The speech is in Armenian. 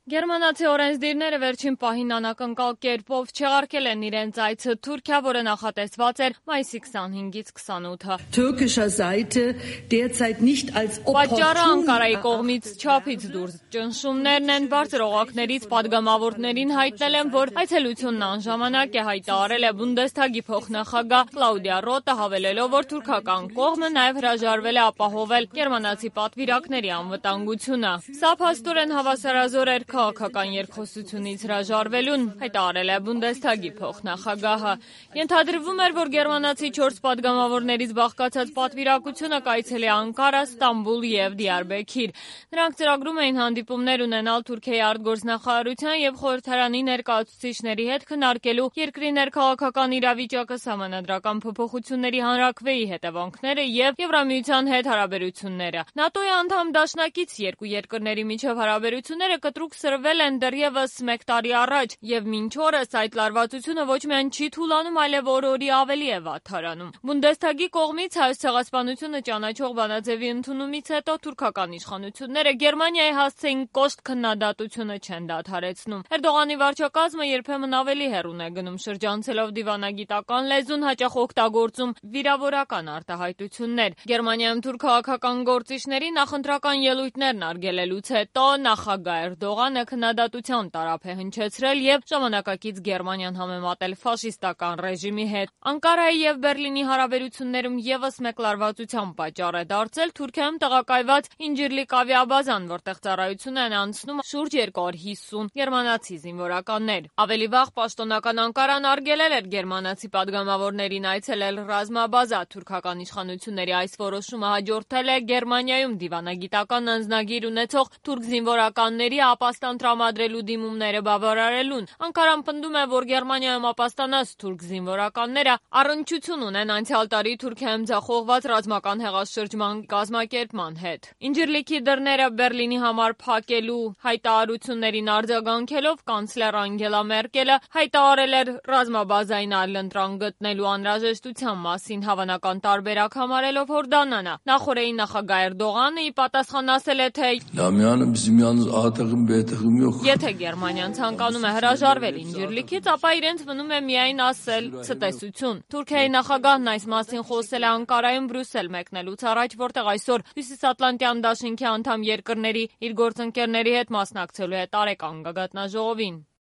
Գերմանացի օրենսդիրները վերջին պահին անակնկալ կերպով չեղարկել են իրենց այցը Թուրքիա, որը նախատեսված էր մայիսի 25-ից 28-ը։ Պատճառը Անկարայի կողմից չափից դուրս ճնշումներն են, բարձր օղակներից պատգամավորներին հայտնել են, որ այցելությունն անժամանակ է, հայտարարել է Բունդեսթագի փոխնախագահ Կլաուդիա Ռոթը, հավելելով, որ թուրքական կողմը նաև հրաժարվել է ապահովել գերմանացի պատվիրակների անվտանգությունը։ Սա փաստորեն հավասարազոր էր քաղաքական երկխոսությունից հրաժարվելուն, հայտարարել է Բունդեսթագի փոխնախագահը։ Ենթադրվում էր, որ գերմանացի 4 պատգամավորներից բաղկացած պատվիրակությունը կայցելի Անկարա, Ստամբուլ եւ Դիարբեքիր։ Նրանք ծրագրում էին հանդիպումներ ունենալ Թուրքիայի արտգործնախարարության եւ խորհրդարանի ներկայացուցիչների հետ քննարկելու երկրի ներքաղաքական իրավիճակը, սահմանադրական փոփոխությունների հանրաքվեի հետևանքները եւ Եվրամիության հետ հարաբերությունները։ ՆԱՏՕ-ի անդամ դաշնակից երկու երկրների միջև հարաբերությունները կտրուկ սրվել են դեռևս 1 տարի առաջ, եւ մինչ օրս այդ լարվածությունը ոչ միայն չի թուլանում, այլև օր-օրի ավելի է վատթարանում։ Բունդեսթագի կողմից հայոց ցեղասպանությունը ճանաչող բանաձևի ընդունումից հետո թուրքական իշխանությունները Գերմանիայի հասցեին կոշտ քննադատությունը չեն դադարեցնում։ Էրդողանի վարչակազմը երբեմն ավելի հեռուն է գնում, շրջանցելով դիվանագիտական լեզուն, հաճախ օգտագործում վիրավորական արտահայտություններ։ Գերմանիայում թուրք քաղաքական գործիչների նախընտրական ելույթներն արգելելուց հետո նախագահ Էրդողանը քննադատության տարափ է հնչեցրել եւ ժամանակակից Գերմանիան համեմատել ֆաշիստական ռեժիմի հետ։ Անկարայի եւ Բերլինի հարաբերություններում եւս մեկ լարվածության պատճառ է դարձել Թուրքիայում տեղակայված Ինջիրլիկ ավիաբազան, որտեղ ծառայություն են անցնում շուրջ 250 գերմանացի զինվորականներ։ Ավելի վաղ պաշտոնական Անկարան արգելել էր գերմանացի падգամավորներին այցելել ռազմաբազա։ Թուրքական իշխանությունների այս որոշումը հաջորդել է Գերմանիայում դիվանագիտական անձնագիր ունեցող թուրք զինվորականների ապաստան տրամադրելու դիմումները բավարարելուն։ Անկարան պնդում է, որ Գերմանիայում ապաստանած թուրք զինվորականները առնչություն ունեն անցյալ տարի Թուրքիայում ձախողված ռազմական հեղաշրջման կազմակերպման հետ։ Ինջիրլիկի դռները Բերլինի համար փակելու հայտարարություններին արձագանքելով կանցլեր Անգելա Մերկելը հայտարարել էր ռազմաբազային այլընտրանք գտնելու անհրաժեշտության մասին, հավանական տարբերակ համարելով Հորդանանը։ Նախորդի նախագահ Էրդողանը ի պատասխան ասել է, թե եթե Գերմանիան ցանկանում է հրաժարվել Ինջիրլիկից, ապա իրենց մնում է միայն ասել ցտեսություն։ Թուրքիայի նախագահն այս մասին խոսել է Անկարայում Բրյուսել մեկնելուց առաջ, որտեղ այսօր Հյուսիսատլանտյան դաշինքի անդամ երկրների իր գործընկերների հետ մասնակցելու է տարեկան գագաթնաժողովին։